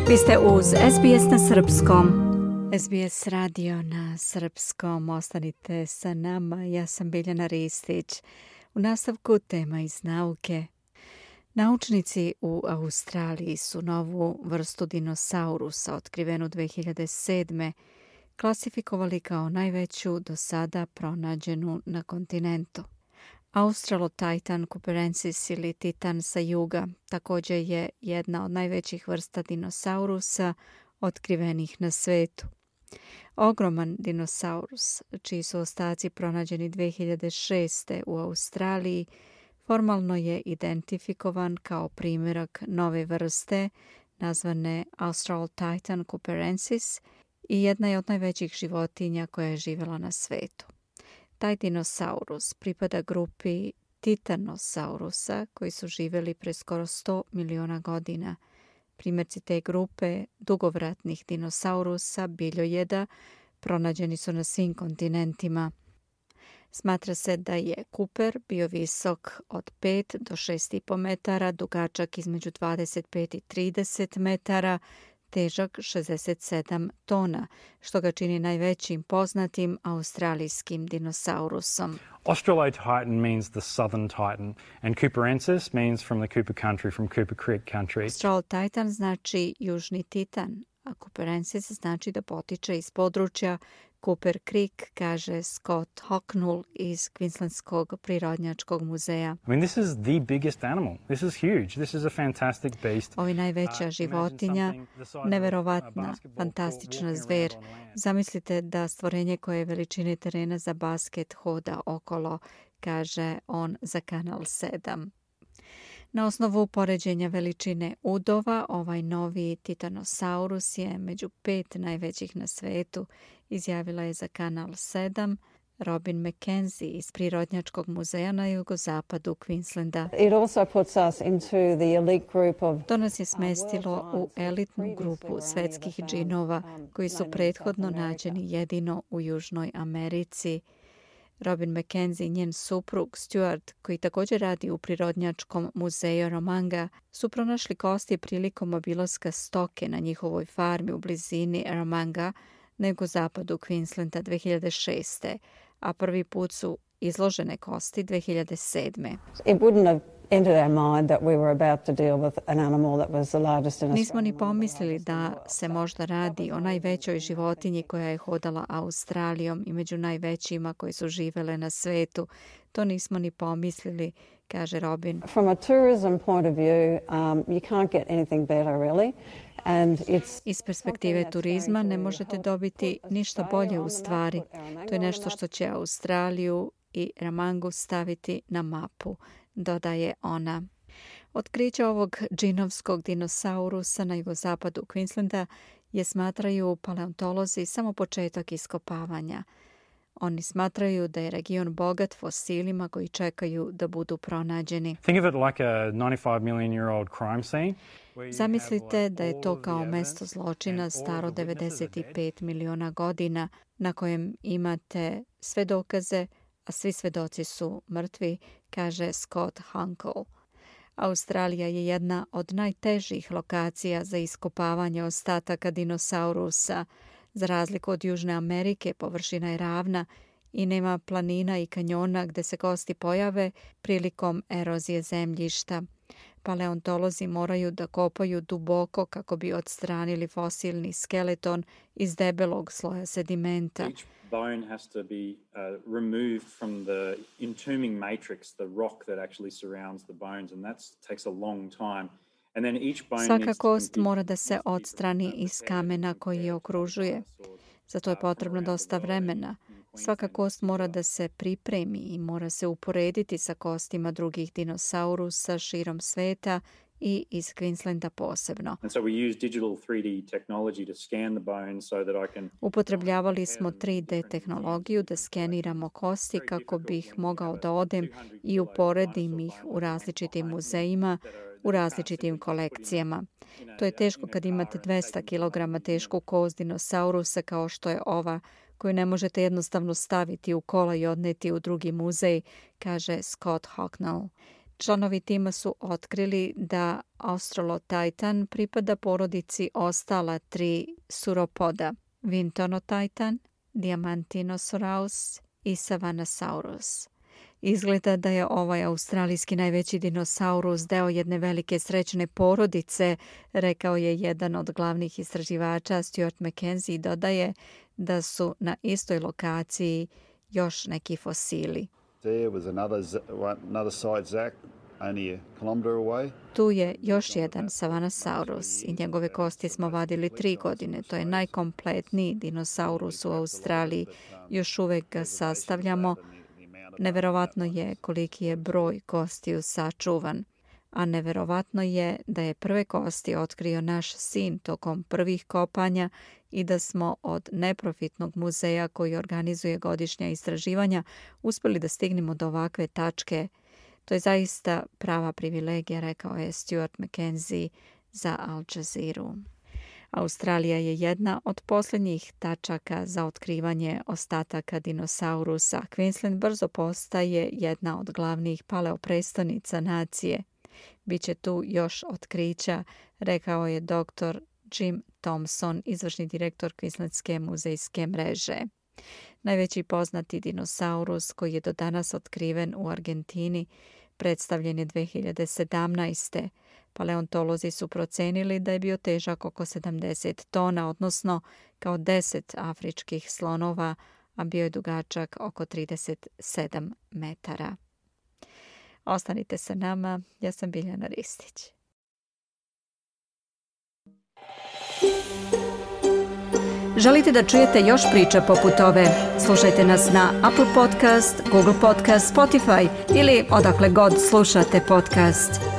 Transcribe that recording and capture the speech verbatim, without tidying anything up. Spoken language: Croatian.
Vi ste uz es be es na srpskom. es be es radio na srpskom. Ostanite sa nama. Ja sam Biljana Ristić. U nastavku tema iz nauke. Naučnici u Australiji su novu vrstu dinosaurusa otkrivenu dve hiljade sedme. klasifikovali kao najveću do sada pronađenu na kontinentu. Australotitan cooperensis ili titan sa juga također je jedna od najvećih vrsta dinosaurusa otkrivenih na svetu. Ogroman dinosaurus, čiji su ostaci pronađeni dve hiljade šeste. u Australiji, formalno je identifikovan kao primjerak nove vrste nazvane Australotitan cooperensis i jedna je od najvećih životinja koja je živjela na svetu. Taj dinosaurus pripada grupi titanosaurusa koji su živjeli pre skoro sto miliona godina. Primjerci te grupe dugovratnih dinosaurusa, biljojeda, pronađeni su na svim kontinentima. Smatra se da je Cooper bio visok od pet do šest i po metara, dugačak između dvadeset pet i trideset metara, težak šezdeset sedam tona, što ga čini najvećim poznatim australijskim dinosaurusom. Australotitan means the southern titan and Cooperensis means from the Cooper country, from Cooper Creek country. Australotitan znači južni titan, a Cooperensis znači da potiče iz područja Cooper Creek, kaže Scott Hocknull iz Queenslandskog prirodnjačkog muzeja. I mean, this is the biggest animal. This is huge. This is a fantastic beast. Ovi najveća životinja, neverovatna, fantastična zver. Zamislite da stvorenje koje je veličine terena za basket hoda okolo, kaže on za Kanal sedam. Na osnovu poređenja veličine udova, ovaj novi titanosaurus je među pet najvećih na svetu, izjavila je za Kanal sedam Robin McKenzie iz Prirodnjačkog muzeja na jugozapadu Queenslanda. It also puts us into the elite group of To nas je smestilo u elitnu grupu svetskih džinova koji su prethodno nađeni jedino u Južnoj Americi. Robin McKenzie i njen suprug Stuart, koji također radi u Prirodnjačkom muzeju Romanga, su pronašli kosti prilikom obilaska stoke na njihovoj farmi u blizini Romanga na jugozapadu Queenslanda dve hiljade šeste. a prvi put su izložene kosti dve hiljade sedme. It wouldn't have entered our mind that we were about to deal with an animal that was the largest in Australia. Nismo ni pomislili da se možda radi o najvećoj životinji koja je hodala Australijom i među najvećima koji su živele na svetu. To nismo ni pomislili, kaže Robin. From a tourism point of view, um, you can't get anything better really. And it's Iz perspektive turizma ne možete dobiti ništa bolje u stvari. To je nešto što će Australiju i Ramangu staviti na mapu, dodaje ona. Otkriće ovog džinovskog dinosaurusa na jugozapadu Queenslanda je, smatraju paleontolozi, samo početak iskopavanja. Oni smatraju da je region bogat fosilima koji čekaju da budu pronađeni. Think of it like a ninety-five million year old crime scene. Zamislite da je to kao mesto zločina staro devedeset pet miliona godina na kojem imate sve dokaze, a svi svedoci su mrtvi, kaže Scott Hocknull. Australija je jedna od najtežih lokacija za iskopavanje ostataka dinosaurusa. Za razliku od Južne Amerike, površina je ravna i nema planina i kanjona gde se kosti pojave prilikom erozije zemljišta. Paleontolozi moraju da kopaju duboko kako bi odstranili fosilni skeleton iz debelog sloja sedimenta. Each bone has to be uh, removed from the entombing matrix, the rock that actually surrounds the bones, and that takes a long time. And then each bone Svaka needs to kost be- mora da se odstrani iz kamena koji je okružuje. Za to je potrebno dosta vremena. Svaka kost mora da se pripremi i mora se uporediti sa kostima drugih dinosaurusa širom sveta i iz Queenslanda posebno. And so we use digital three D technology to scan the bones so that I can Upotrebljavali smo tri D tehnologiju da skeniramo kosti kako bih mogao da odem i uporedim ih u različitim muzejima, u različitim kolekcijama. To je teško kad imate dvesta kilograma tešku kost dinosaurusa kao što je ova, koju ne možete jednostavno staviti u kola i odneti u drugi muzej, kaže Scott Hocknull. Članovi tima su otkrili da Australotitan pripada porodici ostala tri suropoda, Vintonotitan, Diamantinosaurus i Savanosaurus. Izgleda da je ovaj australijski najveći dinosaurus deo jedne velike srećne porodice, rekao je jedan od glavnih istraživača Stuart Mackenzie i dodaje da su na istoj lokaciji još neki fosili. There was another, another site Zach, only a kilometre away. Tu je još jedan Savanosaurus i njegove kosti smo vadili tri godine. To je najkompletniji dinosaurus u Australiji. Još uvek ga sastavljamo. Neverovatno je koliki je broj kostiju sačuvan. A neverovatno je da je prve kosti otkrio naš sin tokom prvih kopanja i da smo od neprofitnog muzeja koji organizuje godišnja istraživanja uspjeli da stignemo do ovakve tačke. To je zaista prava privilegija, rekao je Stuart Mackenzie za Al Jazeera. Australija je jedna od posljednjih tačaka za otkrivanje ostataka dinosaurusa. Queensland brzo postaje jedna od glavnih paleoprestonica nacije. Biće tu još otkrića, rekao je doktor Jim Thompson, izvršni direktor Queenslandske muzejske mreže. Najveći poznati dinosaurus koji je do danas otkriven u Argentini predstavljen je dve hiljade sedamnaeste. Paleontolozi su procenili da je bio težak oko sedamdeset tona, odnosno kao deset afričkih slonova, a bio je dugačak oko trideset sedam metara. Ostanite sa nama, ja sam Biljana Ristić. Želite da čujete još priča poput ove? Slušajte nas na Apple Podcast, Google Podcast, Spotify ili odakle god slušate podcast.